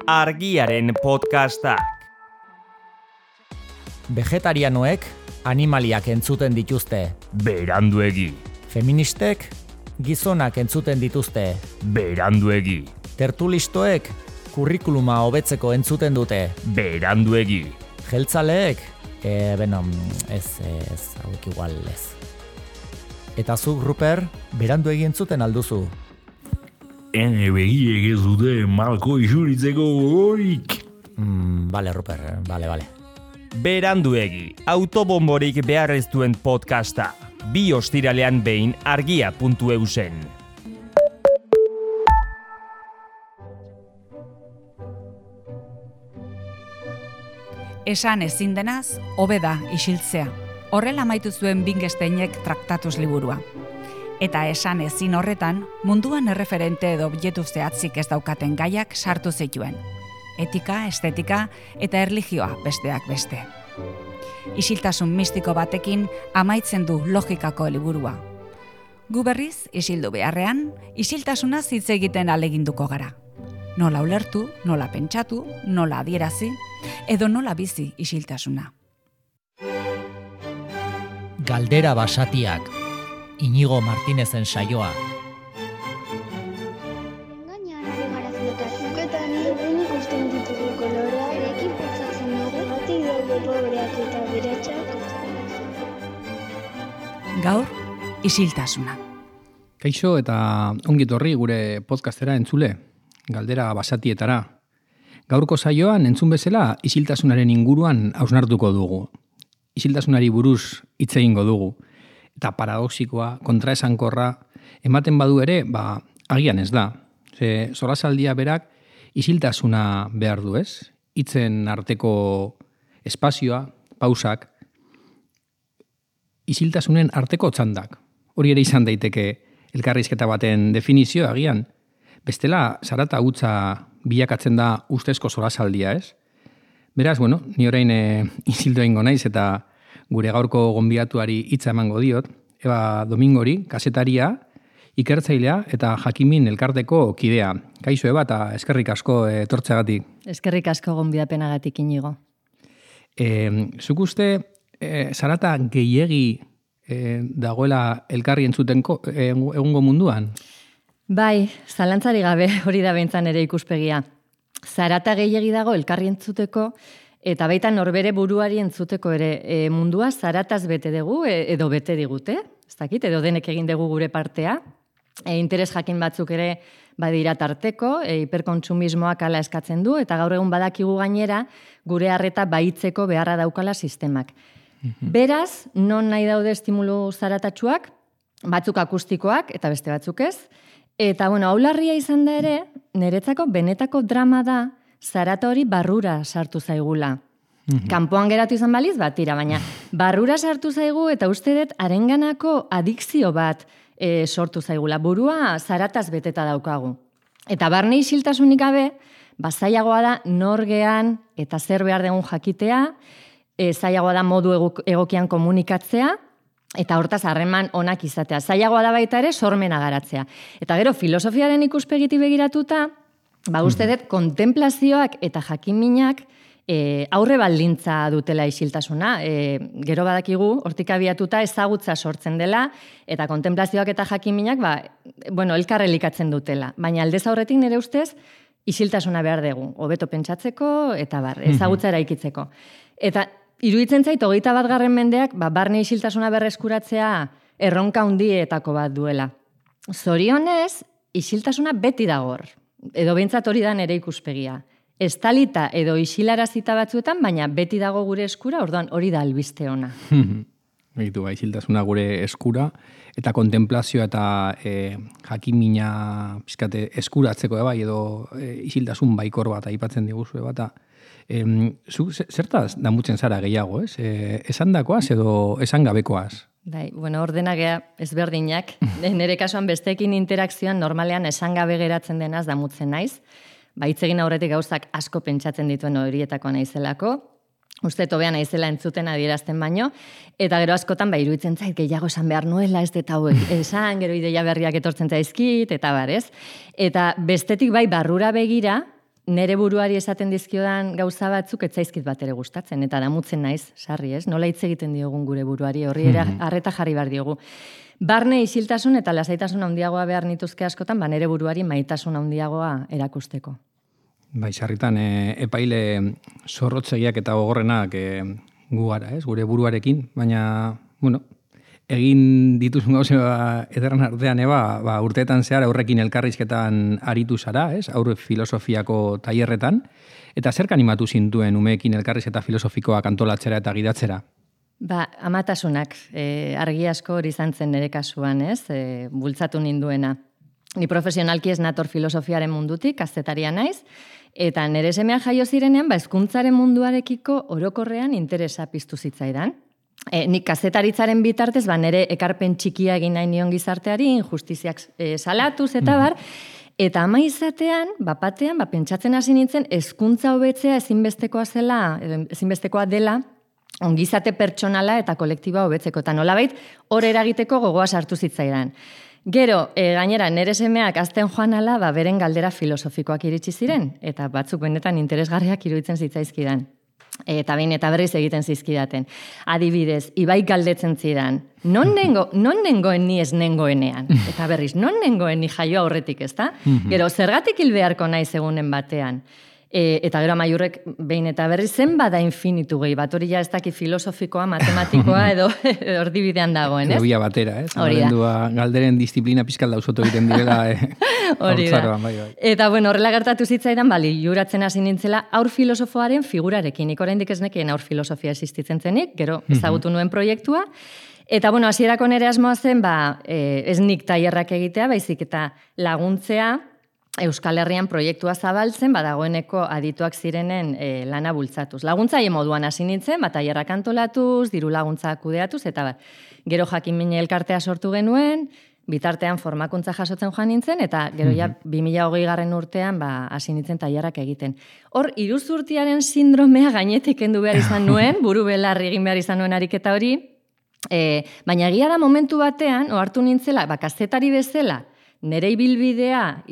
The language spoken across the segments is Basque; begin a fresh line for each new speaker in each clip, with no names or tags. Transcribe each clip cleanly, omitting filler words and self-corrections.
Argiaren podcastak.
Vegetarianoek animaliak entzuten dituzte.
Beranduegi.
Feministek gizonak entzuten dituzte.
Beranduegi.
Tertulistoek kurrikuluma hobetzeko entzuten dute.
Beranduegi.
Jeltzaleek, hauek igual ez. Eta zuk, Ruper, beranduegi entzuten alduzu.
Ene begiek ez dute malko isuritzeko gogorik.
Bale, Ruper, bale.
Beranduegi, autobomborik behar ez duen podcasta. 2 ostiralean behin argia.eusen.
Esan ezin denaz, hobe da isiltzea. Horrela amaitu zuen Wittgensteinek Traktatuz liburua. Eta esan ezin horretan, munduan erreferente edo objektu zehatzik ez daukaten gaiak sartu zituen. Etika, estetika eta erlijioa besteak beste. Isiltasun mistiko batekin amaitzen du logikako liburua. Gu berriz, isildu beharrean, isiltasunaz hitz egiten ahaleginduko gara. Nola ulertu, nola pentsatu, nola adierazi, edo nola bizi isiltasuna.
Galdera basatiak, Inigo Martinezen saioa.
Gainean ari gara flotatzen. Eta ni ikusten ditugu koloreak, erekin pentsatzen dugu, bati daude pobreak eta beratxak.
Gaur, isiltasuna.
Kaixo eta ongi etorri gure podcastera entzule, galdera basatietara. Gaurko saioan entzun bezala isiltasunaren inguruan hausnartuko dugu. Isiltasunari buruz hitz egingo dugu. Eta paradoxikoa, kontraesankorra, ematen badu ere, agian ez da. Solasaldia berak isiltasuna behar du, ez? Hitzen arteko espazioa, pausak, isiltasunen arteko txandak. Hori ere izan daiteke elkarrizketa baten definizio agian. Bestela, zarata hutsa bilakatzen da ustezko solasaldia, ez? Beraz, ni orain isildu egingo naiz eta gure gaurko gonbidatuari hitza emango diot, Eba Domingori, kasetaria, ikertzailea eta jakimin elkarteko kidea. Kaixo, Eba, eta eskerrik asko etortzeagatik.
Eskerrik asko gonbidapenagatik, Inigo.
Zuk uste, zarata gehiegi dagoela elkarri entzutenko egungo munduan?
Bai, zalantzari gabe hori da behintzan ere ikuspegia. Zarata gehiegi dago elkarri entzuteko, eta baita norbere buruari entzuteko ere mundua zarataz bete dugu edo bete digute, ez dakit, edo denek egin dugu gure partea. Interes jakin batzuk ere badira tarteko, hiperkontsumismoak hala eskatzen du, eta gaur egun badakigu gainera gure harreta baitzeko beharra daukala sistemak. Beraz, non nahi daude estimulu zaratatsuak, batzuk akustikoak eta beste batzuk ez, eta hau larria izan da ere, niretzako benetako drama da, zarata hori barrura sartu zaigula. Kanpoan geratu izan baliz, tira, baina barrura sartu zaigu eta uste dut harenganako adikzio bat sortu zaigula. Burua zarataz beteta daukagu. Eta barne isiltasunik gabe, zailagoa da norgean eta zer behar dugun jakitea, zailagoa da modu egokian komunikatzea, eta hortaz harreman onak izatea. Zailagoa da baita ere sormena garatzea. Eta gero filosofiaren ikuspegiti begiratuta, uste dut, kontemplazioak eta jakiminak aurre baldintza dutela isiltasuna. Gero badakigu, hortik abiatuta ezagutza sortzen dela, eta kontemplazioak eta jakiminak, elkar elikatzen dutela. Baina aldez aurretik nire ustez, isiltasuna behar dugu. Hobeto pentsatzeko, eta ezagutza eraikitzeko. Eta iruditzen zait, 21. mendeak, barne isiltasuna berreskuratzea erronka handietako bat duela. Zorionez, isiltasuna beti dagor. Edo behintzat hori da nere ikuspegia. Estalita edo isilarazita batzuetan, baina beti dago gure eskura, orduan hori da albiste ona.
Begitu, isiltasuna gure eskura, eta kontemplazioa eta jakimina pizkate eskuratzeko, edo isiltasun baikor bat aipatzen diguzu, eta zertaz damutzen zara gehiago, ez? Esandakoaz edo esangabekoaz?
Ordenagea ezberdinak. Nere kasuan besteekin interakzioan normalean esangabe geratzen denaz damutzen naiz. Hitz egin aurretik gauzak asko pentsatzen dituen horietako naizelako. Uste tobean naizela entzuten adierazten baino, eta gero askotan iruditzen zait gehiago esan behar nuela, ez eta hauek esan, gero ideia berriak etortzen zaizkit, eta ez? Eta bestetik barrura begira, nere buruari esaten dizkiodan gauza batzuk etzaizkit bat ere gustatzen, eta damutzen naiz, sarri, ez? Nola hitz egiten diogun gure buruari, horri ere arreta jarri behar diogu. Barne isiltasun eta lasaitasun handiagoa behar nituzke askotan, nere buruari maitasun handiagoa erakusteko.
Bai, sarritan, epaile zorrotzegiak eta gogorrenak gu gara, ez? Gure buruarekin, baina, bueno, egin dituzun gauza ederran artean, urteetan zehar aurrekin elkarrizketan aritu zara, ez? Aurre filosofiako tailerretan, eta zerk animatu zintuen umeekin elkarrizketa filosofikoak antolatzera eta gidatzera?
Amatasunak, argi asko hori izan zen nire kasuan, ez? Bultzatu ninduena. Ni profesionalki ez nator filosofiaren mundutik, kazetaria naiz, eta nire semea jaio zirenean, hezkuntzaren munduarekiko orokorrean interesa piztu zitzaidan. Nik kazetaritzaren bitartez, nire ekarpen txikia egin nahi nion gizarteari, injustiziak salatuz eta bar, eta ama izatean, batean, pentsatzen hasi nintzen, hezkuntza hobetzea ezinbestekoa dela, ongizate pertsonala eta kolektiba hobetzeko, eta nolabait hor eragiteko gogoa sartu zitzaidan. Gero, gainera, nire semeak azten joan ala, beren galdera filosofikoak iritsi ziren, eta batzuk benetan interesgarriak iruditzen zitzaizkidan. Eta behin eta berriz egiten zizkidaten. Adibidez, Ibai galdetzen zidan, non nengoen ni ez nengoenean? Eta berriz, non nengoen ni jaio aurretik, ezta? Gero, zergatik hil beharko naiz egunen batean? Eta gero amaiurrek behin eta berriz zen bada infinitu gehi, bat hori ja ez daki filosofikoa, matematikoa edo ordibidean dagoen, ez?
Edo batera, ez? Galderen disiplina pizkal dausoto egiten direla.
Hori da. Eta horrela gertatu zitzaidan, juratzen hasi nintzela aur filosofoaren figurarekin. Nik oraindik ez nekien aur filosofia existitzen zenik, gero ezagutu nuen proiektua. Eta hasierako nere asmoa zen, ez nik tailerrak egitea, baizik eta laguntzea, Euskal Herrian proiektua zabaltzen, dagoeneko adituak zirenen lana bultzatuz. Laguntzaile moduan hasi nintzen, tailerrak antolatuz, diru laguntza kudeatuz, eta gero jakin-mine elkartea sortu genuen, bitartean formakuntza jasotzen joan nintzen, eta gero 2020 urtean hasi nintzen tailerrak egiten. Hor, iruzurtiaren sindromea gainetik kendu behar izan nuen, buru belarri egin behar izan nuen ariketa hori, baina egia da momentu batean, ohartu nintzela, kazetari bezala, nere ibilbidea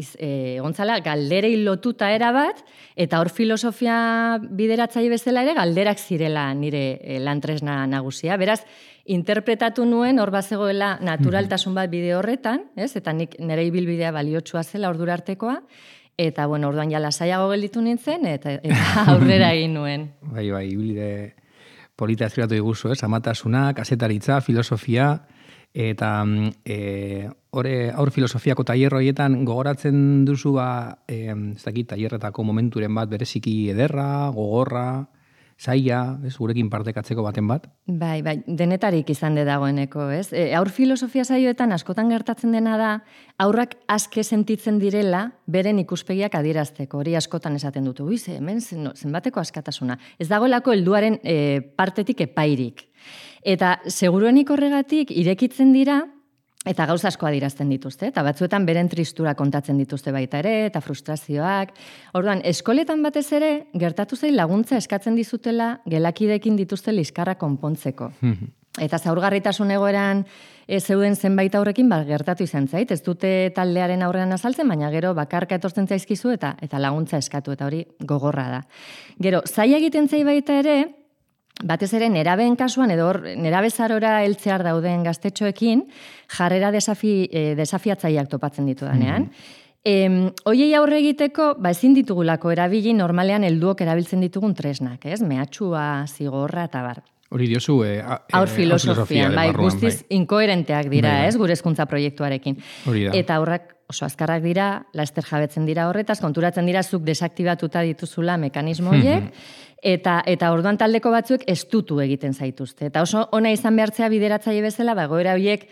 gontzala galderei lotuta erabat, eta hor filosofia bideratzaile bezala ere galderak zirela nire lantresna nagusia. Beraz, interpretatu nuen hor bazegoela naturaltasun bat bide horretan, eta nik nere ibilbidea baliotsua zela ordura artekoa, eta orduan ja lasaiago gelditu nintzen, eta aurrera egin nuen.
Bai, ibilbide polita eskribatu diguzu, amatasuna, kazetaritza, filosofia, eta aur filosofiako tailer horietan gogoratzen duzu ez dakit tailerretako momenturen bat bereziki ederra, gogorra, zaila, gurekin partekatzeko baten bat?
Bai, denetarik izan de dagoeneko, ez? Aur filosofia saioetan askotan gertatzen dena da, aurrak aske sentitzen direla beren ikuspegiak adierazteko, hori askotan esaten dut, hemen zenbateko askatasuna. Ez dagoelako helduaren partetik epairik. Eta seguruenik horregatik irekitzen dira, eta gauza asko adierazten dituzte, eta batzuetan beren tristura kontatzen dituzte baita ere, eta frustrazioak. Orduan, eskoletan batez ere, gertatu zain laguntza eskatzen dizutela gelakidekin dituzte liskarra konpontzeko. Eta zaurgarritasun egoeran zeuden zenbait aurrekin gertatu izan zait, ez dute taldearen aurrean azaltzen, baina gero bakarka etortzen zaizkizu eta laguntza eskatu, eta hori gogorra da. Gero, zaila egiten zai baita ere, batez ere nerabeen kasuan edo nerabezarora heltzear dauden gaztetxoekin jarrera desafiatzaileak topatzen ditudanean. Hoiei aurre egiteko, ezin ditugulako erabili normalean helduok erabiltzen ditugun tresnak, ez? Mehatxua, zigorra eta bar.
Hori diozu
aur filosofia, guztiz inkoherenteak dira, ez? Gure hezkuntza proiektuarekin. Eta aurrak oso azkarrak dira, laster jabetzen dira horretaz, konturatzen dira zuk desaktibatuta dituzula mekanismo horiek, eta orduan taldeko batzuek estutu egiten zaituzte. Eta oso ona izan behartzea bideratzaile bezala, egoera horiek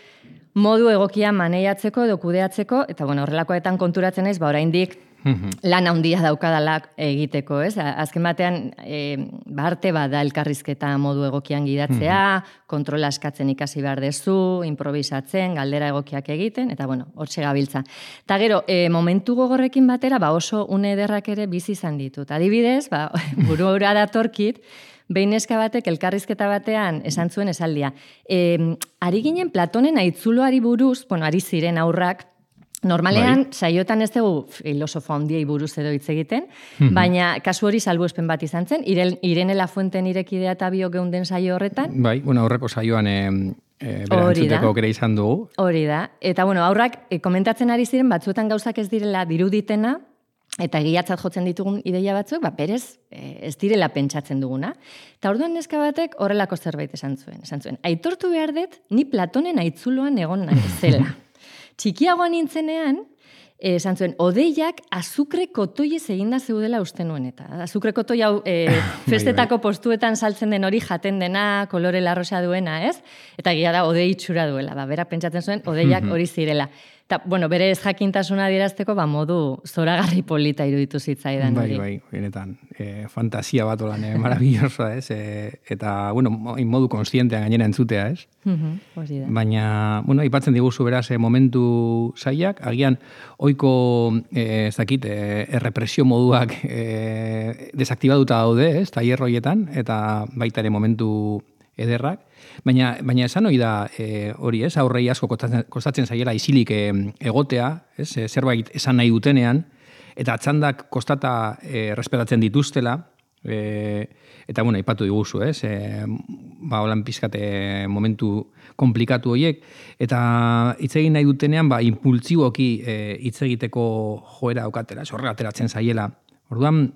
modu egokia maneiatzeko edo kudeatzeko, eta horrelakoetan konturatzen naiz, oraindik lan handia daukadala egiteko, ez? Azken batean, arte bat da elkarrizketa modu egokian gidatzea, kontrola eskatzen ikasi behar dezu, improvisatzen, galdera egokiak egiten, eta hortxe gabiltza. Eta gero, momentu gogorrekin batera, oso une ederrak ere bizi izan ditut. Adibidez, buru hura datorkit, behin neska batek elkarrizketa batean esan zuen esaldia. Ari ginen Platonen aitzuloari buruz, ari ziren aurrak, Normalean, saiotan ez dugu filosofo handiei buruz edo hitz egiten, baina kasu hori salbuespen bat izan zen, Irene Lafuenten irekidea eta bio geunden saio horretan.
Bai, aurreko saioan berantzuteko aukera izan dugu.
Hori da. Eta, aurrak komentatzen ari ziren, batzuetan gauzak ez direla diruditena, eta egiatzat jotzen ditugun ideia batzuk, berez ez direla pentsatzen duguna. Eta orduan neska batek horrelako zerbait esan zuen. Aitortu behar dut, ni Platonen aitzuloan egon naizela. Txikiagoan nintzenean, esan zuen, odeiak azukre kotoiez eginda zeudela uste nuen eta. Azukre kotoi hau festetako postuetan saltzen den hori jaten dena, kolore larrosa duena, ez? Eta egia da, odei itxura duela. Bera pentsatzen zuen, odeiak hori zirela. Eta, bere ez jakintasuna adierazteko, modu zoragarri polita iruditu zitzaidan hori.
Bai, benetan. Fantasia bat olan, maravillosa, ez? Eta, modu konstientean gainera entzutea, ez?
Hori da.
Baina, aipatzen diguzu beraz momentu zaiak, agian oiko, ez dakit, errepresio moduak desaktibatuta daude, ez? Tailer horietan, eta baita ere momentu ederrak. Baina esan hori da hori, ez? Aurrei asko kostatzen zaiela isilik egotea, ez? Zerbait esan nahi dutenean, eta txandak kostata respetatzen dituztela, eta aipatu diguzu, ez? Holan pizkate momentu komplikatu horiek, eta hitz egin nahi dutenean, impultsiboki hitz egiteko joera aukatela, horrela ateratzen zaiela. Orduan,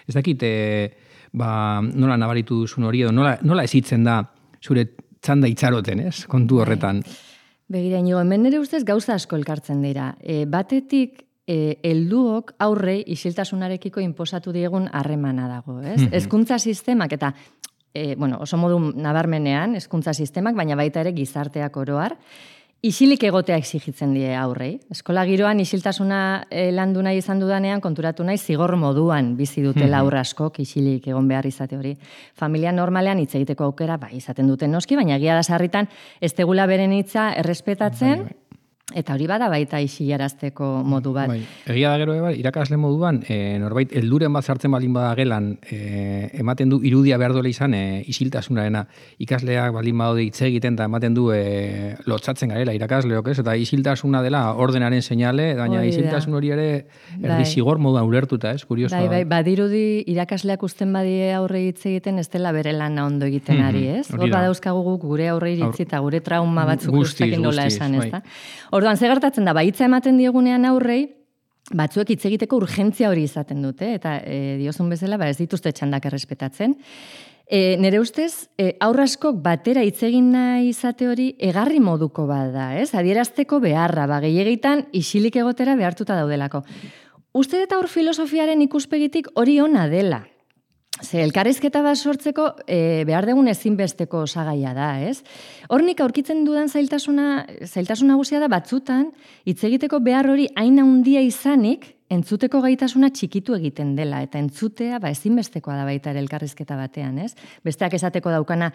ez dakit, nola nabaritu duzun hori, edo nola ezitzen da zure txanda itxaroten, ez? Kontu horretan.
Begira, inigo, hemen nire ustez gauza asko elkartzen dira. Batetik, helduok aurrei isiltasunarekiko inposatu diegun harremana dago, ez? Hezkuntza sistemak, eta oso modu nabarmenean, hezkuntza sistemak, baina baita ere gizarteak oroar, isilik egotea exigitzen die aurrei. Eskola giroan isiltasuna landu nahi izan dudanean, konturatu nahi zigor moduan bizi dutela aurra askok isilik egon behar izate hori. Familia normalean hitz egiteko aukera izaten duten noski, baina egia da sarritan ez tegula beren hitza errespetatzen, eta hori bada baita isilarazteko modu bat.
Egia da gero, irakasle moduan, norbait helduren bat sartzen baldin bada gelan, ematen du irudia behar duela izan isiltasunarena. Ikasleak baldin badaude hitz egiten eta ematen du lotsatzen garela irakasleok, ez? Eta isiltasuna dela ordenaren seinale, baina isiltasun hori ere erdizigor moduan ulertuta, ez? Kurioso.
Badirudi irakasleak usten badie aurre hitz egiten ez dela bere lana ondo egiten ari, ez? Hor badauzkagu gure aurre iritzi eta gure trauma batzuk guztakin nola esan, ez da? Orduan, ze gertatzen da, hitza ematen diegunean aurrei, batzuek hitz egiteko urgentzia hori izaten dute, eta diozun bezala, ez dituzte txandak errespetatzen. Nere ustez, aurraskok batera hitz egin nahi izate hori egarri moduko bada, ez? Adierazteko beharra, gehiagitan isilik egotera behartuta daudelako. Uste dut aur filosofiaren ikuspegitik hori ona dela. Elkarrizketa bat sortzeko behar dugun ezinbesteko osagaia da, ez? Hornik aurkitzen dudan zailtasun nagusia da batzutan, hitz egiteko behar hori hain handia izanik, entzuteko gaitasuna txikitu egiten dela, eta entzutea ezinbestekoa da baita ere elkarrizketa batean, ez? Besteak esateko daukana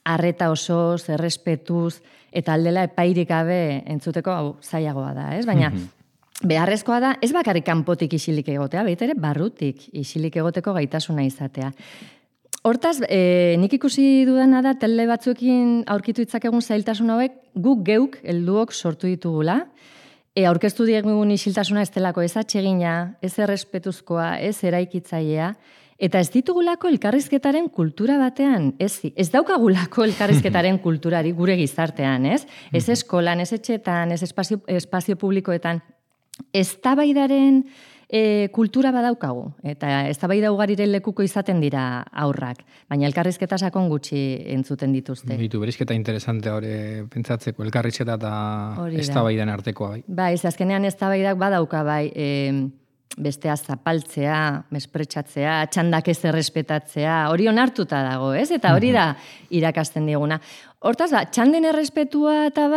arreta osoz, errespetuz, eta aldela epairik gabe entzuteko zailagoa da, ez? Baina beharrezkoa da, ez bakarrik kanpotik isilik egotea, baita ere barrutik isilik egoteko gaitasuna izatea. Hortaz, nik ikusi dudana da, tele batzuekin aurkitu ditzakegun zailtasun hauek, guk geuk helduok sortu ditugula, aurkeztu diegun isiltasuna ez delako ez atsegina, ez errespetuzkoa, ez eraikitzailea, eta ez ditugulako elkarrizketaren kultura batean, ez daukagulako elkarrizketaren kulturari gure gizartean, ez? Ez eskolan, ez etxetan, ez espazio publikoetan, eztabaidaren kultura badaukagu, eta eztabaida ugariren lekuko izaten dira aurrak, baina elkarrizketa sakon gutxi entzuten dituzte.
Berizketa interesante hori pentsatzeko, elkarrizketa eta eztabaidan artekoa.
Bai, azkenean eztabaidak badauka, bestea zapaltzea, mespretxatzea, txandak ez errespetatzea, hori onartuta dago, ez? Eta hori da irakasten diguna. Hortaz, txanden errespetua eta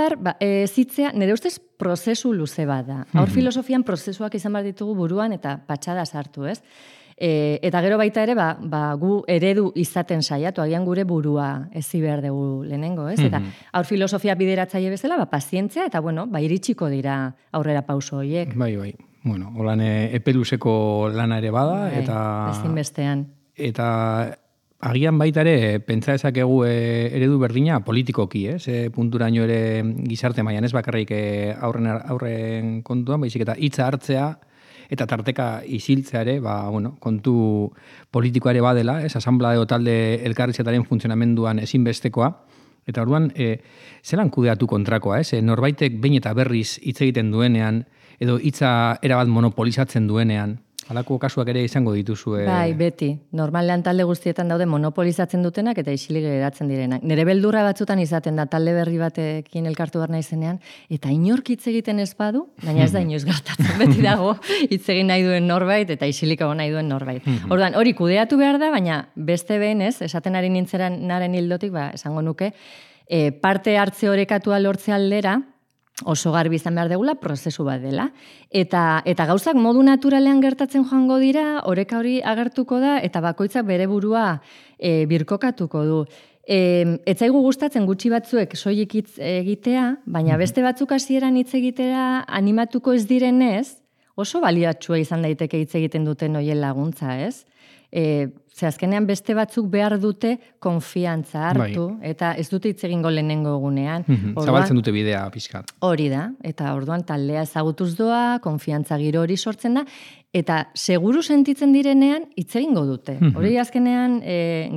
zitzea, nire ustez prozesu luze bat da. Aur filosofian prozesuak izan behar ditugu buruan eta patxada sartu, ez? Eta gero baita ere, gu eredu izaten saiatu, agian gure burua ezi behar dugu lehenengo, ez? Eta aur filosofia bideratzaile bezala, pazientzia, eta iritsiko dira aurrera pauso horiek.
Bai. Holan epeluzeko lana ere bada, eta...
Ezinbestean.
Eta agian baita ere, pentsa dezakegu eredu berdina politikoki, punturaino ere gizarte mailan ez bakarrik aurren kontuan, baizik eta hitza hartzea, eta tarteka isiltzea ere, kontu politikoa ere badela, asamblea edo talde elkarrizketaren funtzionamenduan ezinbestekoa, eta orduan, zelan kudeatu kontrakoa, norbaitek behin eta berriz hitz egiten duenean, edo hitza erabat monopolizatzen duenean, halako kasuak ere izango dituzu.
Bai, beti. Normalean talde guztietan daude monopolizatzen dutenak eta isilik geratzen direnak. Nere beldurra batzutan izaten da talde berri batekin elkartu behar naizenean, eta inork hitz egiten ez badu, baina ez da inoiz gertatzen. Beti dago hitz egin nahi duen norbait eta isilik egon nahi duen norbait. Orduan, hori kudeatu behar da, baina beste behin esaten ari nintzenaren hildotik, esango nuke, parte hartze orekatua lortze aldera, oso garbi izan behar degula, prozesu bat dela. Eta gauzak modu naturalean gertatzen joango dira, oreka hori agertuko da, eta bakoitzak bere burua birkokatuko du. Etzaigu gustatzen gutxi batzuek soilik hitz egitea, baina beste batzuk hasieran hitz egitera animatuko ez direnez, oso baliatsua izan daiteke hitz egiten duten hoien laguntza, ez? Ze azkenean beste batzuk behar dute konfiantza hartu, eta ez dute hitz egingo lehenengo egunean.
Zabaltzen dute bidea pixkat.
Hori da, eta orduan taldea ezagutuz doa, konfiantza giro hori sortzen da, eta seguru sentitzen direnean hitz egingo dute. Hori azkenean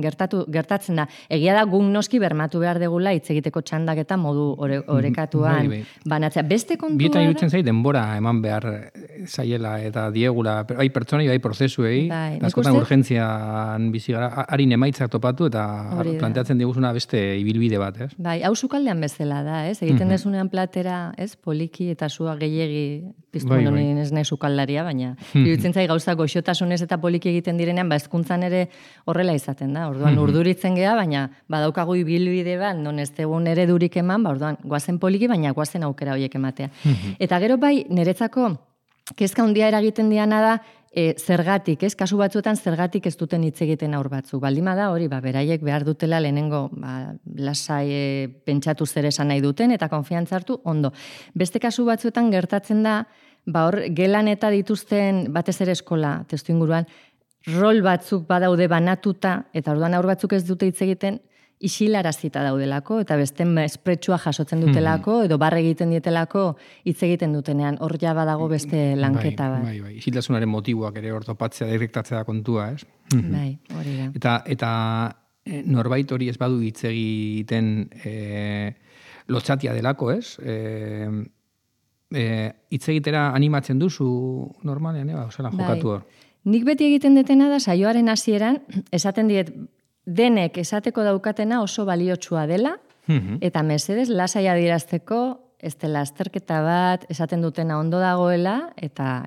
gertatzen da. Egia da guk noski bermatu behar degula hitz egiteko txandak eta modu orekatuan banatzea. Beste kontua da...
Bietan irutzen zait denbora eman behar zaiela eta diegula, bai pertsonei, bai prozesuei, askotan urgentzian bizi gara, harin emaitzak topatu eta planteatzen diguzuna beste ibilbide bat, ez?
Bai, hau sukaldean bezala da, ez? Egiten desunean platera, ez? Poliki eta sua gehiegi piztu honin ez nahi sukaldaria, baina iruditzen zai gauzak goxotasunez eta poliki egiten direnean, hezkuntzan ere horrela izaten da. Orduan urduritzen gea, baina badaukagu ibilbide bat, non ez egun eredurik eman, orduan goazen poliki, baina goazen aukera horiek ematea. Eta gero bai, niretzako kezka handia eragiten diana da, zergatik, ez? Kasu batzuetan zergatik ez duten hitz egiten aur batzuk. Baldima da hori, beraiek behar dutela lehenengo lasai pentsatu zer esan nahi duten eta konfiantza hartu, ondo. Beste kasu batzuetan gertatzen da, hor gelan eta dituzten batez ere eskola testu inguruan, rol batzuk badaude banatuta, eta orduan aur batzuk ez dute hitz egiten, isilarazita daudelako, eta beste espretsua jasotzen dutelako, edo barre egiten dietelako hitz egiten dutenean, hor ja badago beste lanketa bat.
Bai. Isiltasunaren motiboak ere ortopatzea, direktatzea da kontua, ez?
Bai, hori da.
Eta norbait hori ez badu hitz egiten lotxatia delako, ez? Hitz egitera animatzen duzu normalean, jokatu hor.
Nik beti egiten detena da, saioaren hasieran esaten diet, denek esateko daukatena oso baliotsua dela, eta mesedez lasai adierazteko, ez dela azterketa bat, esaten dutena ondo dagoela, eta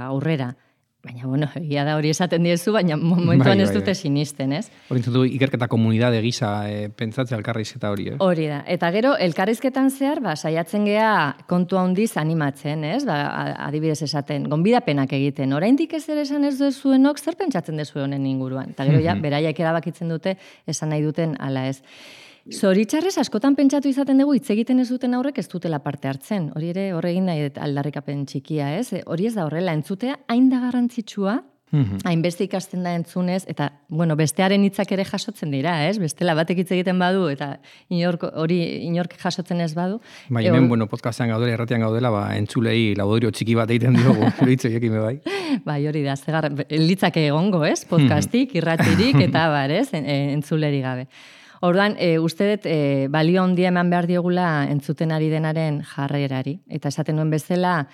aurrera. Baina, egia da hori esaten diezu, baina momentuan ez dute sinisten, ez?
Hori entzutu ikerketa komunidade gisa pentsatzea elkarrizketa hori, ez?
Hori da. Eta gero, elkarrizketan zehar, saiatzen gea kontu handiz animatzen, ez? Adibidez esaten, gonbidapenak egiten. Oraindik ez ere esan ez duzuenok, zer pentsatzen duzu honen inguruan? Eta gero, beraiek erabakitzen dute, esan nahi duten ala ez. Zoritxarrez, askotan pentsatu izaten dugu, hitz egiten ez duten aurrek ez dutela parte hartzen. Hori ere, horregin nahi aldarrikapen txikia, ez? Hori ez da horrela, entzutea hain da garrantzitsua, hainbeste ikasten da entzunez, eta, bestearen hitzak ere jasotzen dira, ez? Bestela batek hitz egiten badu, eta inork jasotzen ez badu.
Bai, hemen, podcastean gaudela, erratian gaudela, entzulei labodorio txiki bat egiten diogu, hitz horiekin bai.
Bai, hori da, litzake egongo, ez? Podcastik, irratirik, eta ez? Entzuleri gabe. Orduan, uste dut, balio handia eman behar diogula entzuten ari denaren jarrerari. Eta esaten duen bezala,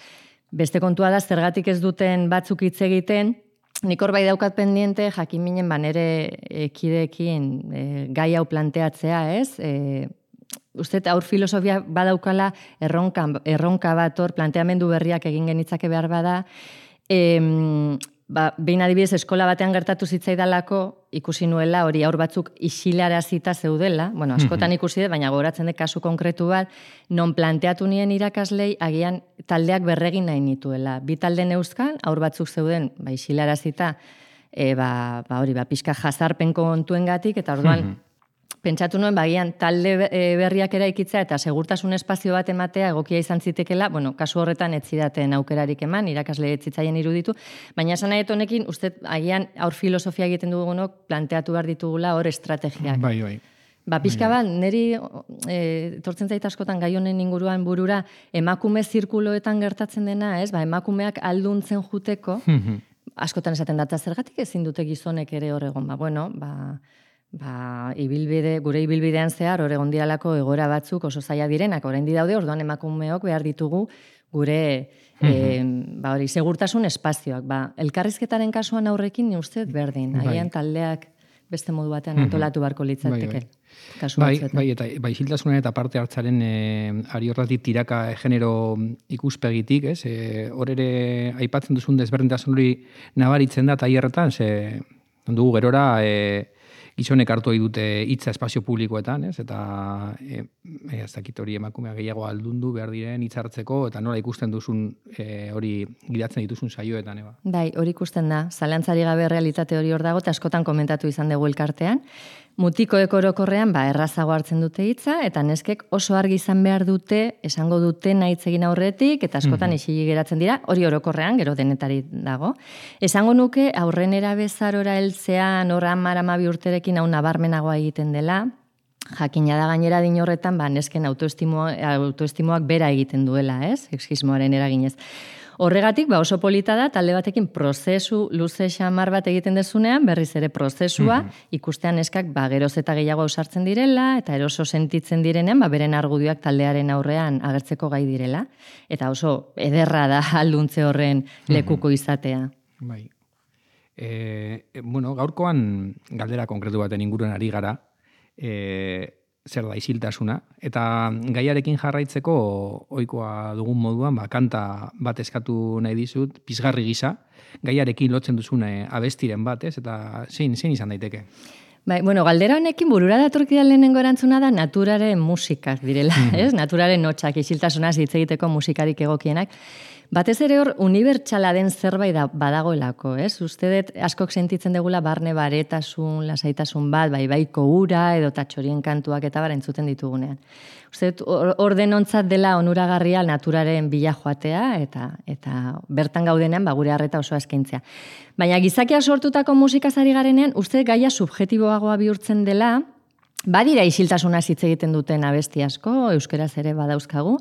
beste kontua da, zergatik ez duten batzuk hitz egiten, nik hor bai daukat pendiente, jakin minen nere kideekin gai hau planteatzea, ez? Uste dut, aur filosofia badaukala erronka bat hor, planteamendu berriak egin genitzake behar bada, behin adibidez eskola batean gertatu zitzaidalako ikusi nuela hori aur batzuk isilarazita zeudela, askotan ikusi dut, baina gogoratzen dut kasu konkretu bat, non planteatu nien irakaslei agian taldeak berregin nahi nituela. Bi talde neuzkan, aur batzuk zeuden isilarazita, pixka jazarpen kontuengatik, eta orduan pentsatu nuen, bagian talde berriak eraikitzea eta segurtasun espazio bat ematea egokia izan zitekela, bueno, kasu horretan ez zidaten aukerarik eman, irakasle ez zitzaien iruditu, baina esan nahi honekin, uste agian aur filosofia egiten dugunok planteatu behar ditugula hor estrategiak.
Bai.
Pixka bat, niri etortzen zait askotan gai honen inguruan burura, emakume zirkuloetan gertatzen dena, ez? Emakumeak alduntzen juteko, askotan esaten data zergatik ezin dute gizonek ere hor egon. Gure ibilbidean zehar hor egon diralako egoera batzuk oso zaila direnak, oraindik daude, orduan emakumeok behar ditugu gure segurtasun espazioak. Elkarrizketaren kasuan aurrekin uste berdin, agian taldeak beste modu batean antolatu barko litzateke. Bai,
isiltasunen eta parte hartzaren ari horretik tiraka genero ikuspegitik, ez? Hor ere aipatzen duzun desberdintasun hori nabaritzen da tailerretan, dugu gerora gizonek hartu dute hitza espazio publikoetan, ez? Eta ez dakit hori emakumea gehiago aldundu behar diren hitz hartzeko, eta nola ikusten duzun hori gidatzen dituzun saioetan, eba?
Bai, hori ikusten da. Zalantzari gabe realitate hori hor dago, eta askotan komentatu izan dugu elkartean. Mutikoek orokorrean errazago hartzen dute hitza, eta neskek oso argi izan behar dute, esango dute nahi egin aurretik, eta askotan isili geratzen dira, hori orokorrean, gero denetari dago. Esango nuke, aurrenera bezarora heltzean, hor 10-12 urterekin hau nabarmenagoa egiten dela, jakina da gainera din horretan, nesken autoestimoak bera egiten duela, ez? Sexismoaren eraginez. Horregatik, oso polita da, talde batekin prozesu luze xamar bat egiten dezunean, berriz ere prozesua, ikustean eskak geroz eta gehiago ausartzen direla, eta eroso sentitzen direnean, beren argudioak taldearen aurrean agertzeko gai direla. Eta oso ederra da alduntze horren lekuko izatea.
Bai. Gaurkoan galdera konkretu baten inguruan ari gara, zer da isiltasuna, eta gaiarekin jarraitzeko ohikoa dugun moduan, kanta bat eskatu nahi dizut, pizgarri gisa, gaiarekin lotzen duzun abestiren bat, ez? Eta zein izan daiteke?
Bai, galdera honekin burura datorkidan lehenengo erantzuna da naturaren musikak direla, ez? Naturaren notxak, isiltasunaz hitz egiteko musikarik egokienak. Batez ere hor, unibertsala den zerbait badagoelako, ez? Uste dut askok sentitzen degula barne baretasun, lasaitasun bat, baiko ura, edo tatxorien kantuak eta entzuten ditugunean. Uste dut, hor denontzat dela onuragarria naturaren bila joatea, eta bertan gaudenean gure harreta oso eskaintzea. Baina gizakia sortutako musikazari garenean, uste gaia subjetiboagoa bihurtzen dela, badira isiltasunaz hitz egiten duten abesti asko, euskeraz ere badauzkagu,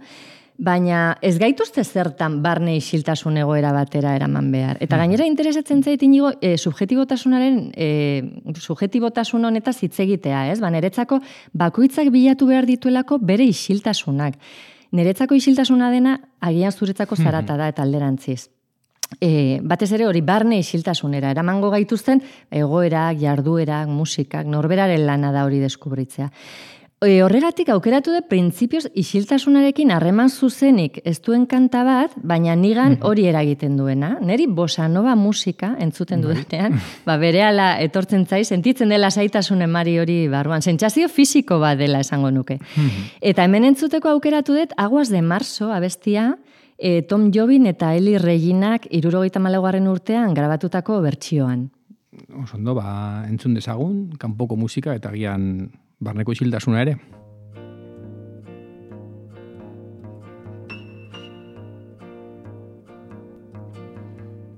baina ez gaituzte zertan barne isiltasun egoera batera eraman behar. Eta gainera interesatzen zait inigo subjetibotasun honetaz hitz egitea, ez? Niretzako bakoitzak bilatu behar dituelako bere isiltasunak. Niretzako isiltasuna dena agian zuretzako zarata da eta alderantziz. Batez ere hori barne isiltasunera eramango gaituzten egoerak, jarduerak, musikak, norberaren lana da hori deskubritzea. Horregatik aukeratu da printzipioz isiltasunarekin harreman zuzenik ez duen kanta bat, baina nigan hori eragiten duena. Neri bossa nova musika entzuten duenean, berehala etortzen zai, sentitzen dela zaitasun emari hori barruan. Sentsazio fisiko bat dela esango nuke. Eta hemen entzuteko aukeratu dut Aguas de Marzo abestia, Tom Jobim eta Eli Reginak 74. urtean grabatutako bertsioan.
Osondo, entzun dezagun, kanpoko musika eta gian barneko isiltasuna ere.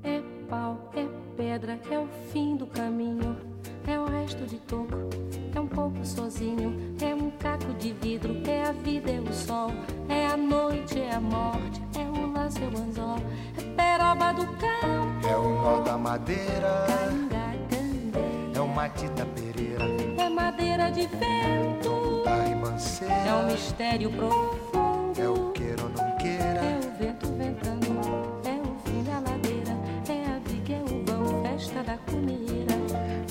É pau, é pedra, é o fim do caminho, é o resto de toco, é pouco sozinho, é caco de vidro, é a vida, é o sol, é a noite, é a morte, é o lance, é o anzol, é peroba do campo,
é o nó da madeira, é o Matita Pereira,
é madeira de vento,
é
um mistério profundo,
é o queira ou não queira,
é o vento ventando, é o fim da ladeira, é a viga, é o vão, festa da comida,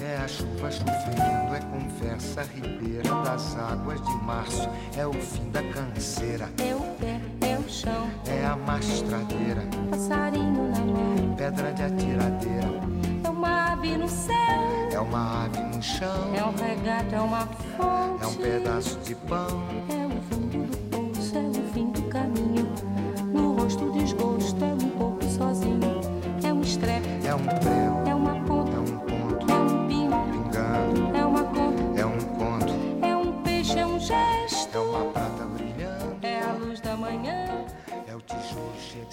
é a chuva chovendo, é conversa ribeira das águas de março, é o fim da canseira,
é o pé, é o chão,
é a mastradeira,
passarinho na mão,
pedra de atiradeira,
é uma ave no céu,
é uma ave no chão,
é um regato, é uma fonte,
é um pedaço de pão,
é o fundo do poço, é o fim do caminho, no rosto desgosto, é pouco sozinho, é um estrepe,
é um prego,
é uma ponta,
é um ponto,
é um pingo,
pingando,
é uma conta,
é um conto,
é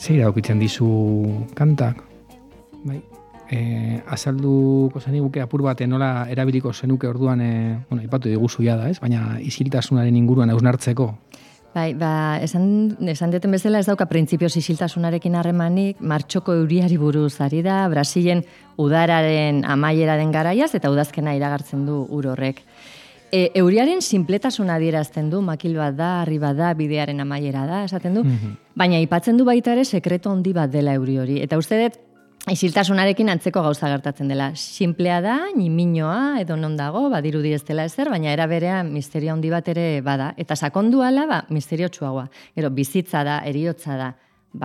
Zeira aukitzen dizu kantak, bai. Azalduko zeniguke apur baten nola erabiliko zenuke orduan, ipatu diguzu da, ez? Baina isiltasunaren inguruan hausnartzeko.
Bai, esan deten bezala ez dauka printzipioz isiltasunarekin harremanik, martxoko euriari buruz ari da, Brasilen udararen amaiera den garaiaz eta udazkena iragartzen du ur horrek. Euriaren sinpletasuna adierazten du, makil bat da, harri bat da, bidearen amaiera da, esaten du, baina aipatzen du baita ere sekreto handi bat dela euri hori. Eta uste dut, isiltasunarekin antzeko gauza gertatzen dela. Sinplea da, niminoa, edo non dago, badirudi ez dela ezer, baina era berean misterio handi bat ere bada. Eta sakondu ala, misterio txuagoa. Gero, bizitza da, eriotza da,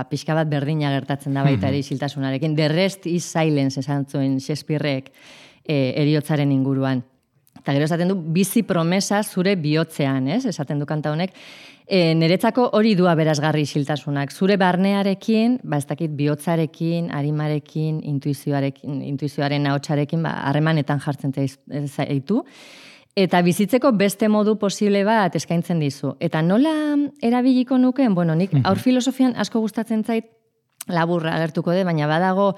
pixka bat berdina gertatzen da baita ere isiltasunarekin. The rest is silence, esan zuen Shakespearek eriotzaren inguruan. Eta gero esaten du, bizi promesa zure bihotzean, ez? Esaten du kanta honek. Niretzako hori du aberasgarri isiltasunak. Zure barnearekin, ez dakit bihotzarekin, arimarekin, intuizioaren ahotsarekin, harremanetan jartzen zaitu. Eta bizitzeko beste modu posible bat eskaintzen dizu. Eta nola erabiliko nukeen? Bueno, nik aur filosofian asko gustatzen zait, laburra agertuko de, baina badago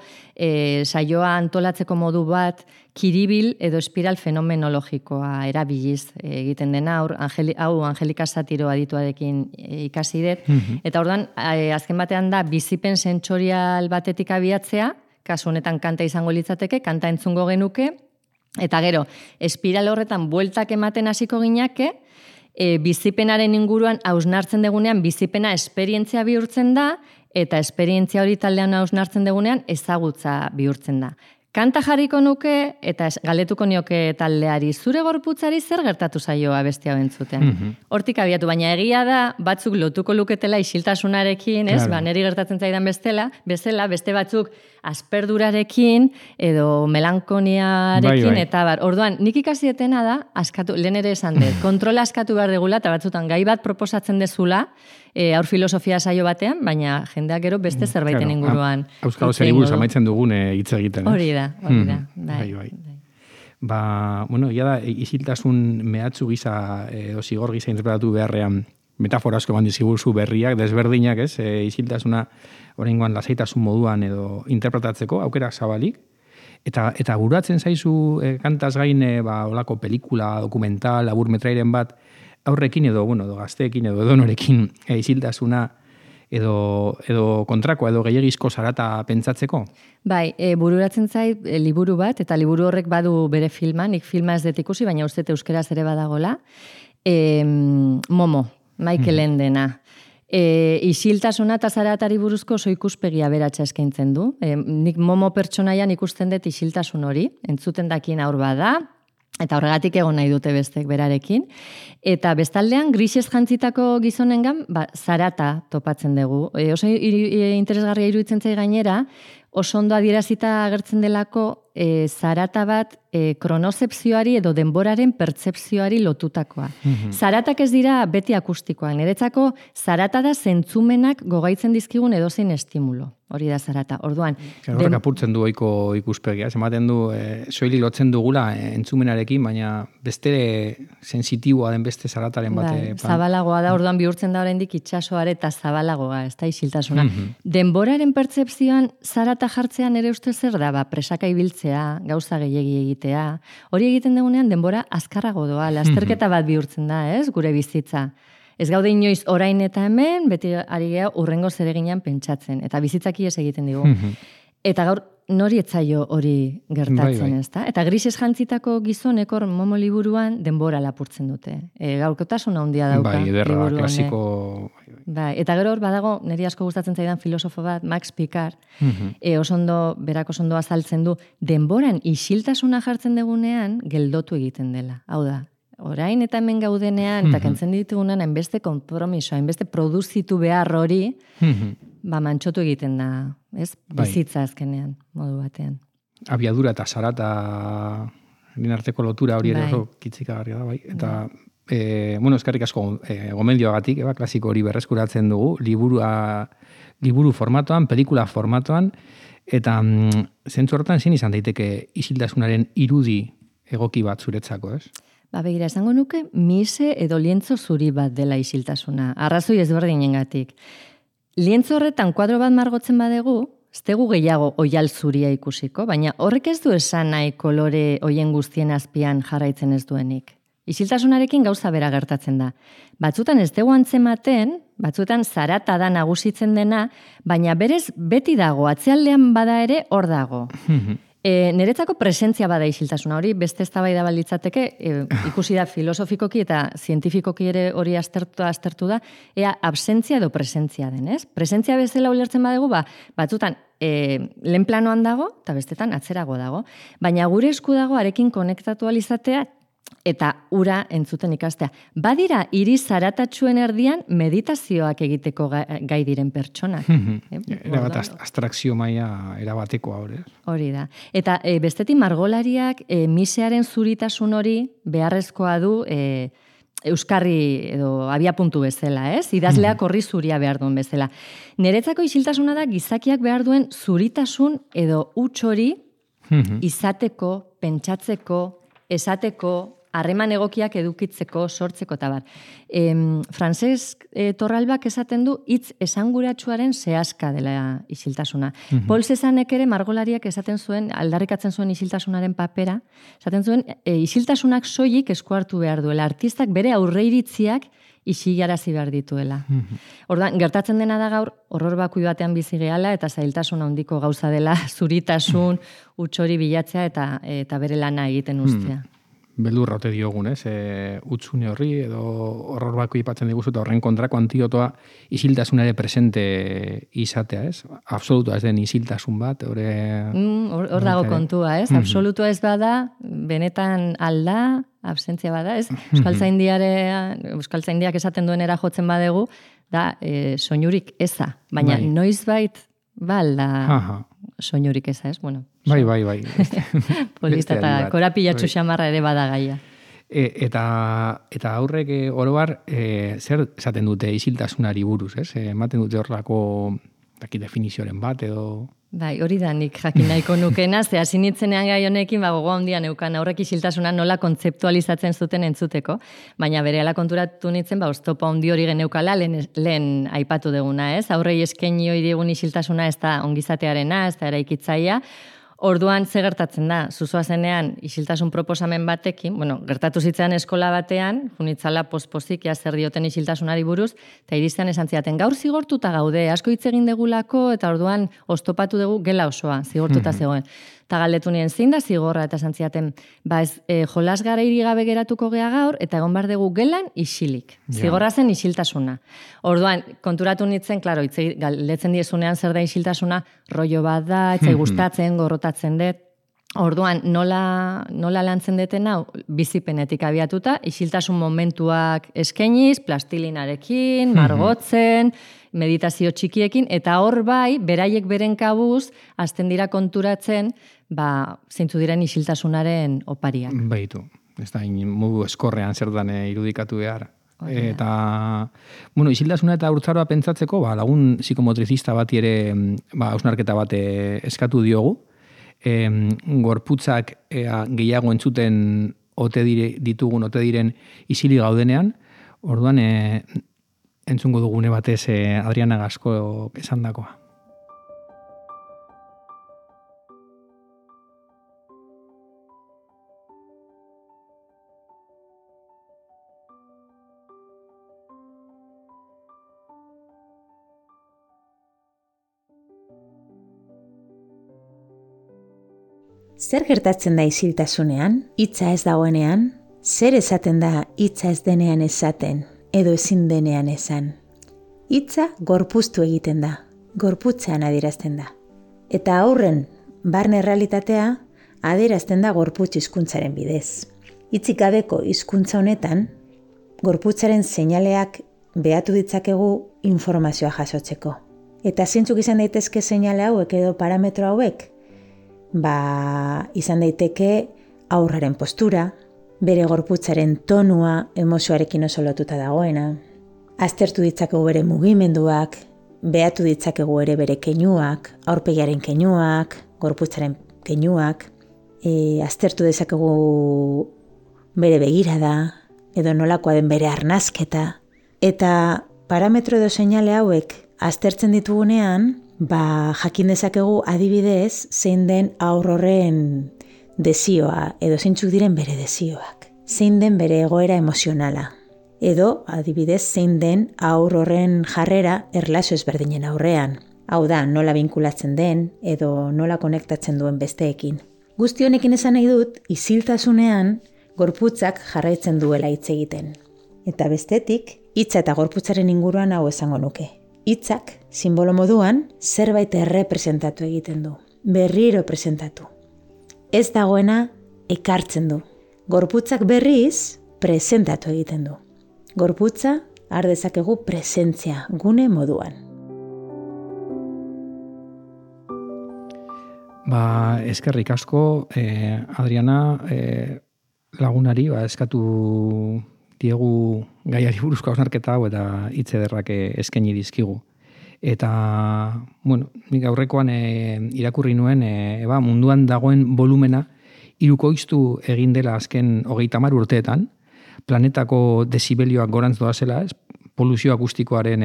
saioa antolatzeko modu bat kiribil edo espiral fenomenologikoa erabiliz egiten dena, hau Angelika Satiro adituarekin ikasi dut, eta orduan azken batean da bizipen sentsorial batetik abiatzea, kasu honetan kanta izango litzateke, kanta entzungo genuke, eta gero, espiral horretan bueltak ematen hasiko ginake, bizipenaren inguruan hausnartzen degunean bizipena esperientzia bihurtzen da, eta esperientzia hori taldean hausnartzen degunean ezagutza bihurtzen da. Kanta jarriko nuke eta galdetuko nioke taldeari, zure gorputzari zer gertatu zaioa beste hau entzutean. Hortik abiatu, baina egia da batzuk lotuko luketela isiltasunarekin, ez? Claro. Neri gertatzen zaidan bezala, beste batzuk asperdurarekin edo melankoniarekin eta bar. Orduan, nik ikasietena da, lehen ere esan dut, kontrola askatu behar degula eta batzutan gai bat proposatzen dezula, aur filosofia saio batean, baina jendeak gero beste zerbaiten inguruan.
Euskal zer buruz amaitzen dugun hitz egiten.
Hori da. Bai.
Bueno, ia da, isiltasun mehatzu gisa edo zigor gisa interpretatu beharrean metafora asko eman dizkiguzu berriak, desberdinak, ez? Isiltasuna oraingoan lasaitasun moduan edo interpretatzeko aukera zabalik. Eta buratzen zaizu kantaz gain olako pelikula, dokumental, labur metrairen bat aurrekin edo gazteekin edo edonorekin isiltasuna edo kontrakoa edo gehiagizko zarata pentsatzeko?
Bai, bururatzen zait liburu bat, eta liburu horrek badu bere filma, nik filma ez dut ikusi, baina uste euskeraz ere badagola. Momo, Michael Endena. Isiltasuna eta zaratari buruzko oso ikuspegia beratxa eskaintzen du. Nik Momo pertsonaian ikusten dut isiltasun hori, entzuten dakien aur bada, eta horregatik egon nahi dute bestek berarekin. Eta bestaldean, grisez jantzitako gizonengan, zarata topatzen dugu. Oso interesgarria iruditzen zai gainera, oso ondo adierazita agertzen delako zarata bat kronozepzioari edo denboraren pertzepzioari lotutakoa. Zaratak ez dira beti akustikoak. Niretzako zarata da zentzumenak gogaitzen dizkigun edozein estimulo. Hori da zarata. Orduan,
horrek apurtzen du ohiko ikuspegia. Ematen du soilik lotzen dugula entzumenarekin, baina beste sensitiboa den beste zarataren bate.
Zabalagoa da, orduan bihurtzen da oraindik itsasoare eta zabalagoa, ez da isiltasuna. Denboraren pertzepzioan zarata jartzean ere uste zer da, presaka ibiltzea, gauza gehiegi egitea. Hori egiten dugunean denbora azkarrago doa, lasterketa bat bihurtzen da, ez, gure bizitza. Ez gaude inoiz orain eta hemen, beti ari geha urrengo zereginan pentsatzen. Eta bizitzaki ez egiten digu. Eta gaur nori etzaio hori gertatzen, ez da? Eta grises jantzitako gizonek hor Momo liburuan denbora lapurtzen dute. Gaurkotasuna handia dauka.
Bai, ederra, klasiko.
Bai, eta gero hor badago, niri asko gustatzen zaidan filosofo bat, Max Picard, berak oso ondo azaltzen du, denboran isiltasuna jartzen degunean, geldotu egiten dela. Hau da, orain eta hemen gaudenean, eta kentzen ditugunean, hainbeste konpromiso, hainbeste produzitu behar hori, mantxotu egiten da, ez? Bizitza azkenean, modu batean.
Abiadura eta zarata arteko lotura hori ere oso kitzikagarria da, bai. Eta, eskerrik asko gomendioagatik, klasiko hori berreskuratzen dugu, liburu formatoan, pelikula formatoan, eta zentzu horretan zein izan daiteke isiltasunaren irudi egoki bat zuretzako, ez?
Begira, esango nuke, mise edo lientzo zuri bat dela isiltasuna. Arrazoi ezberdinengatik. Lientzo horretan kuadro bat margotzen badegu, ez dugu gehiago oial zuria ikusiko, baina horrek ez du esan nahi kolore hoien guztien azpian jarraitzen ez duenik. Isiltasunarekin gauza bera gertatzen da. Batzutan ez dugu antzematen, batzutan zarata da nagusitzen dena, baina berez beti dago, atzealdean bada ere hor dago. Niretzako presentzia bada isiltasuna hori, beste eztabaida balitzateke, ikusi da filosofikoki eta zientifikoki ere hori aztertu da, ea absentzia edo presentzia den, ez? Presentzia bezala ulertzen badegu, batzutan lehen planoan dago, eta bestetan atzerago dago, baina gure esku dago arekin konektatu alizatea, eta ura entzuten ikastea. Badira, hiri zaratatxuen erdian meditazioak egiteko gai diren pertsonak.
Erabat abstrakzio maila erabatekoa hori.
Hori da. Eta bestetik margolariak misearen zuritasun hori beharrezkoa du euskarri edo abiapuntu bezala, ez? Idazleak horri zuria behar duen bezala. Niretzako isiltasuna da gizakiak behar duen zuritasun edo huts hori izateko, pentsatzeko, esateko, harreman egokiak edukitzeko, sortzeko eta bar. Francesc Torralbak esaten du hitz esanguratsuaren zehazka dela isiltasuna. Paul Cézannek ere margolariak esaten zuen, aldarrikatzen zuen isiltasunaren papera, esaten zuen isiltasunak soilik esku hartu behar duela, artistak bere aurreiritziak isilarazi behar dituela. Orduan, gertatzen dena da gaur, horror bakui batean bizi gehala eta zailtasun handiko gauza dela, zuritasun, huts hori bilatzea eta bere lana egiten ustea.
Beldurra ote diogun, ez? Utzune horri edo horror bako ipatzen diguzu eta horren kontrako antiotoa isiltasunare presente izatea, ez? Absolutua ez den isiltasun bat,
hor dago kontua, ez? Absolutua ez bada, benetan alda, absentzia bada, ez? Euskaltzaindiak esaten duenera jotzen badegu, da soinurik eza, baina noizbait alda soinurik eza, ez? Bueno,
bai.
Polita eta korapilatxu xamarra ere bada gaia.
Eta aurrek orobar, zer esaten dute isiltasunari buruz, ez? Ematen dute horrelako definizioaren bat edo...
Bai, hori da nik jakin nahiko nukena, ze hasi nitzenean gai honekin, gogoa handia neukan aurrek isiltasuna nola kontzeptualizatzen zuten entzuteko, baina berehala konturatu nitzen, oztopo handi hori geneukala lehen aipatu deguna, ez? Aurrei eskaini hori digun isiltasuna ez da ongizatearena, ez da eraikitzaia. Orduan ze gertatzen da, zuzoa zenean isiltasun proposamen batekin, gertatu zitzaidan eskola batean, junitzala pospozik zer dioten isiltasunari buruz, eta iristean esan zidaten, gaur zigortuta gaude, asko hitz egin degulako, eta orduan oztopatu dugu gela osoa, zigortuta zegoen. Eta galdetu nien zein da zigorra, eta esan zidaten, jolas gara gabe geratuko gea gaur, eta egon bar dugu gelan isilik. Zigorra zen isiltasuna. Orduan, konturatu nitzen, klaro, galdetzen diezunean zer da isiltasuna, rollo bat da, etzai gustatzen, gorrotatzen dut. Orduan, nola lantzen deten hau, bizipenetik abiatuta, isiltasun momentuak eskainiz, plastilinarekin, margotzen, meditazio txikiekin, eta hor bai, beraiek beren kabuz, hasten dira konturatzen, zeintzu diren isiltasunaren opariak.
Baitu, ez da, modu eskorrean zer dan irudikatu behar. Eta, isiltasuna eta urtzaroa pentsatzeko, lagun psikomotrizista bati ere, hausnarketa bat eskatu diogu, gorputzak gehiago entzuten ote diren isili gaudenean, orduan entzungo dugune batez Adriana Gasko esandakoa.
Zer gertatzen da isiltasunean, hitza ez dagoenean, zer esaten da hitza ez denean esaten, edo ezin denean esan. Hitza gorpuztu egiten da, gorputzean adierazten da. Eta aurren barne errealitatea adierazten da gorputz hizkuntzaren bidez. Hitzik gabeko hizkuntza honetan, gorputzaren seinaleak behatu ditzakegu informazioa jasotzeko. Eta zeintzuk izan daitezke seinale hauek edo parametro hauek? Izan daiteke aurraren postura, bere gorputzaren tonua emozioarekin oso lotuta dagoena, aztertu ditzakegu bere mugimenduak, behatu ditzakegu ere bere keinuak, aurpegiaren keinuak, gorputzaren keinuak, aztertu dezakegu bere begirada, edo nolakoa den bere arnazketa, eta parametro edo seinale hauek aztertzen ditugunean, jakin dezakegu adibidez zein den haur horren desioa, edo zeintzuk diren bere desioak. Zein den bere egoera emozionala. Edo, adibidez, zein den haur horren jarrera erlazio ezberdinen aurrean. Hau da, nola binkulatzen den, edo nola konektatzen duen besteekin. Guzti honekin esan nahi dut, isiltasunean gorputzak jarraitzen duela hitz egiten. Eta bestetik, hitza eta gorputzaren inguruan hau esango nuke. Hitzak, sinbolo moduan, zerbait errepresentatu egiten du. Berriro presentatu. Ez dagoena ekartzen du. Gorputzak berriz presentatu egiten du. Gorputza har dezakegu presentzia gune moduan.
Eskerrik asko, Adriana, lagunari, eskatu diegu gaiari buruzko hausnarketa hau eta hitz ederrak eskaini dizkigu. Eta, nik aurrekoan irakurri nuen, munduan dagoen volumena hirukoiztu egin dela azken 30 urteetan, planetako desibelioak gorantz doazela, poluzio akustikoaren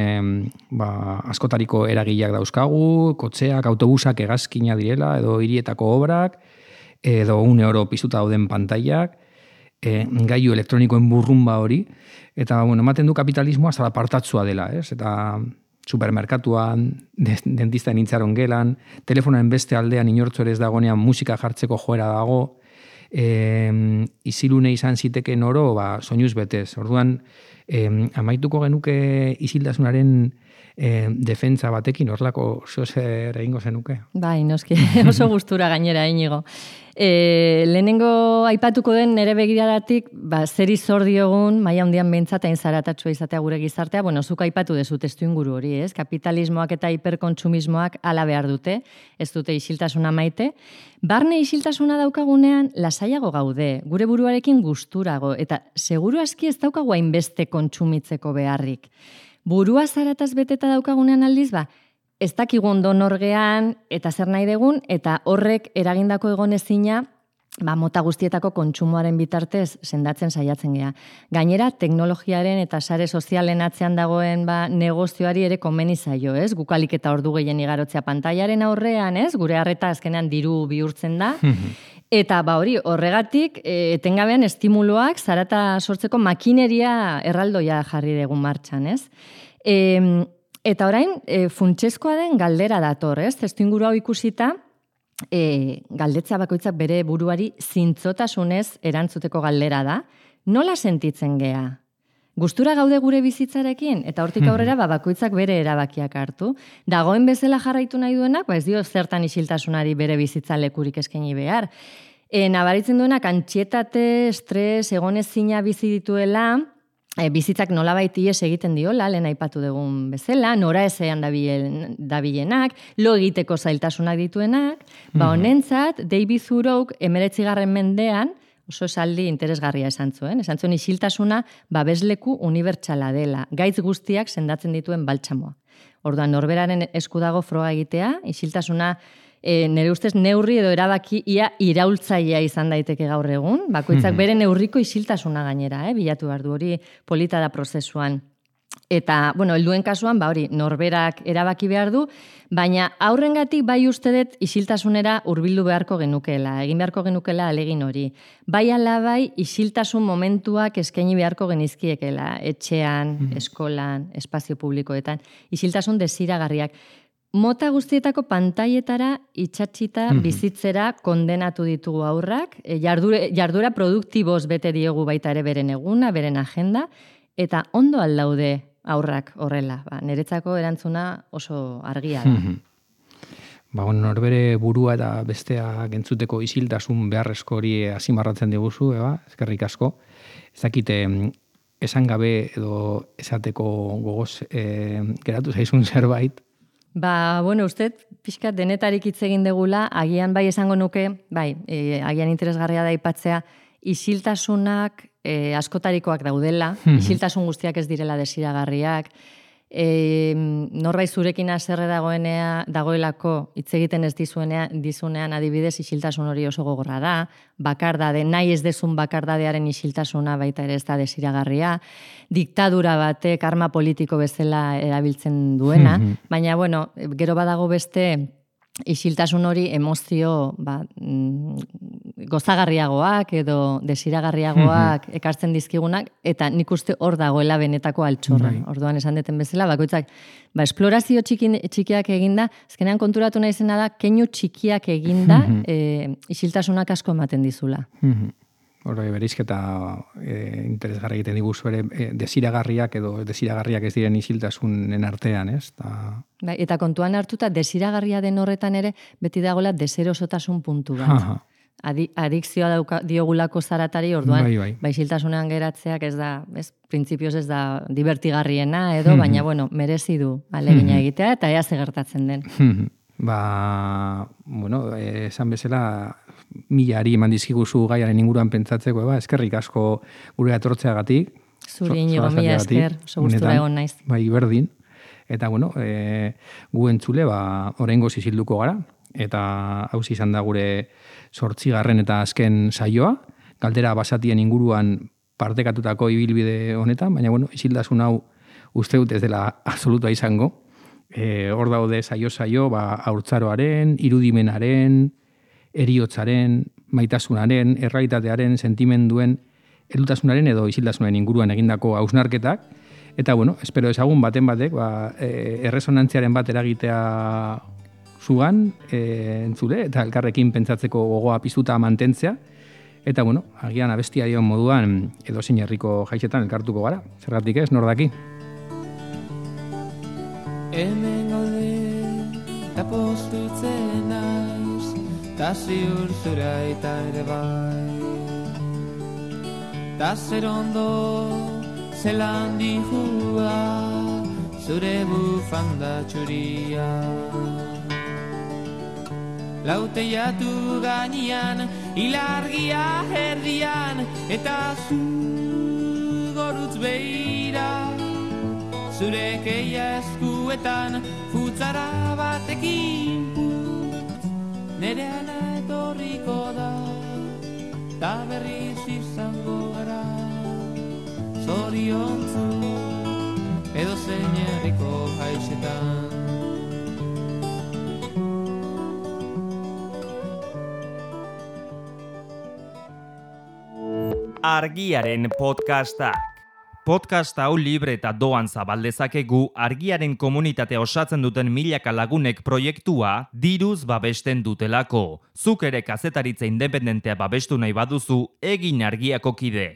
askotariko eragileak dauzkagu, kotxeak, autobusak hegazkina direla, edo hirietako obrak, edo oro piztuta dauden pantailak, gailu elektronikoen burrumba hori, eta ematen du kapitalismoa zalapartatzua dela, eta supermerkatuan, dentistan intzaron gelan, telefonoen beste aldean inortzo ere ez dagoenean musika jartzeko joera dago, izilune izan ziteken oro, soinuz betez. Orduan, amaituko genuke isiltasunaren defentsa batekin, horlako zer egingo zenuke?
Bai, noski, oso gustura gainera, Inigo. Lehenengo aipatuko den nere begiradatik, zeri zor diogun, maila handian behintzat hain zaratatsua izatea gure gizartea, zuk aipatu dezu testu inguru hori, ez? Kapitalismoak eta hiperkontsumismoak hala behar dute, ez dute isiltasuna maite. Barne isiltasuna daukagunean, lasaiago gaude, gure buruarekin gusturago, eta seguru aski ez daukagu hainbeste kontsumitzeko beharrik. Burua zarataz beteta daukagunean aldiz, ez dakigu ondo norgean eta zer nahi degun, eta horrek eragindako egonezina mota guztietako kontsumoaren bitartez sendatzen saiatzen gea. Gainera, teknologiaren eta sare sozialen atzean dagoen negozioari ere komeni zaio, ez? Gukalik eta ordu gehien igarotzea pantailaren aurrean, ez? Gure arreta azkenean diru bihurtzen da. Eta horregatik, etengabean estimuloak zarata sortzeko makineria erraldoia jarri dugun martxan, ez? Eta orain, funtsezkoa den galdera dator, ez? Testuinguru hau ikusita, galdetza bakoitzak bere buruari zintzotasunez erantzuteko galdera da. Nola sentitzen gea? Gustura gaude gure bizitzarekin, eta hortik aurrera bakoitzak bere erabakiak hartu. Dagoen bezala jarraitu nahi duenak, ez dio zertan isiltasunari bere bizitza lekurik eskaini behar. Nabaritzen duenak antxietate, estres, egonezina bizi dituela, bizitzak nolabait ihes egiten diola, lehen aipatu dugun bezala, nora ezean dabilenak, lo egiteko zailtasunak dituenak, honentzat, David Thoreauk 19. mendean, oso esaldi interesgarria esan zuen isiltasuna babesleku unibertsala dela, gaitz guztiak sendatzen dituen baltsamoa. Orduan, norberaren esku dago froga egitea, isiltasuna nire ustez neurri edo erabaki ia iraultzailea izan daiteke gaur egun, bakoitzak bere neurriko isiltasuna gainera, bilatu behar du hori polita da prozesuan. Eta, helduen kasuan, norberak erabaki behar du, baina aurrengatik bai uste dut isiltasunera hurbildu beharko genukela, egin beharko genukela alegin hori. Bai ala bai isiltasun momentuak eskaini beharko genizkiekela, etxean, eskolan, espazio publikoetan, isiltasun desiragarriak. Mota guztietako pantailetara itxatxita bizitzera kondenatu ditugu aurrak, jarduera produktiboz bete diogu baita ere beren eguna, beren agenda, eta ondo aldaude aurrak horrela. Niretzako erantzuna oso argia da.
Norbere burua eta bestea gentzuteko isiltasun beharrezko hori azimarratzen diguzu, eskerrik asko. Ez dakite, esan gabe edo esateko gogoz geratu zaizun zerbait.
Uste, pixkat denetarik hitz egin degula, agian bai esango nuke, agian interesgarria da aipatzea, isiltasunak askotarikoak daudela, isiltasun guztiak ez direla desiragarriak, norbait zurekin haserre dagoelako hitz egiten ez dizunean adibidez isiltasun hori oso gogorra da, bakardade, nahi ez dezun bakardadearen isiltasuna baita ere ez da desiragarria, diktadura batek arma politiko bezala erabiltzen duena, baina bueno, gero badago beste isiltasun hori emozio gozagarriagoak edo desiragarriagoak ekartzen dizkigunak, eta nik uste hor dagoela benetako altxorra. Orduan esan deten bezala, bakoitzak, esplorazio txikiak eginda, azkenean konturatu nahi zena da, keinu txikiak eginda isiltasunak asko ematen dizula.
Horre berizketa interesgarri egiten diguzu ere desiragarriak edo desiragarriak ez diren isiltasunen artean, ez?
Eta kontuan hartuta desiragarria den horretan ere beti dagoela deserosotasun puntu bat. Adikzioa diogulako zaratari, orduan isiltasunean geratzeak ez da, printzipioz ez da divertigarriena edo, baina bueno, merezi du alegina egitea eta ea ze gertatzen den.
Esan bezala, milari eman dizkiguzu gaiaren inguruan pentsatzeko, eskerrik asko gure atortzeagatik.
Zuri inigo, mila esker, oso gustura egon naiz.
Bai, berdin. Eta, gu entzule, oraingoz isilduko gara, eta hau izan da gure 8. eta azken saioa, galdera basatien inguruan partekatutako ibilbide honetan, baina, isildasun hau uste dut ez dela absolutua izango. Hor daude saio, haurtzaroaren, irudimenaren, eriotzaren, maitasunaren, errealitatearen, sentimenduen, heldutasunaren edo isiltasunaren inguruan egindako hausnarketak. Eta, espero ezagun baten batek, erresonantziaren bat eragitea zugan, entzule, eta elkarrekin pentsatzeko gogoa piztuta mantentzea. Eta, agian abestia dion moduan, edo zein herriko jaitzetan elkartuko gara. Zergatik ez, nor daki?
Hemen gaude, eta postutzen naiz, ta ziur zura eta ere bai. Ta zer ondo, zelan dihua, zure bufanda txuria. Lauteiatu gainean, ilargia herrian, eta zu gorutz behira. Zure keia eskuetan, futzara batekin putz, nere ana etorriko da, ta berriz izango gara. Zoriontzu, edo zein herriko jaitzetan.
Argiaren podcastak. Podcast hau libre eta doan zabaldezakegu Argiaren komunitatea osatzen duten milaka lagunek proiektua diruz babesten dutelako. Zuk ere kazetaritza independentea babestu nahi baduzu, egin Argiako kide.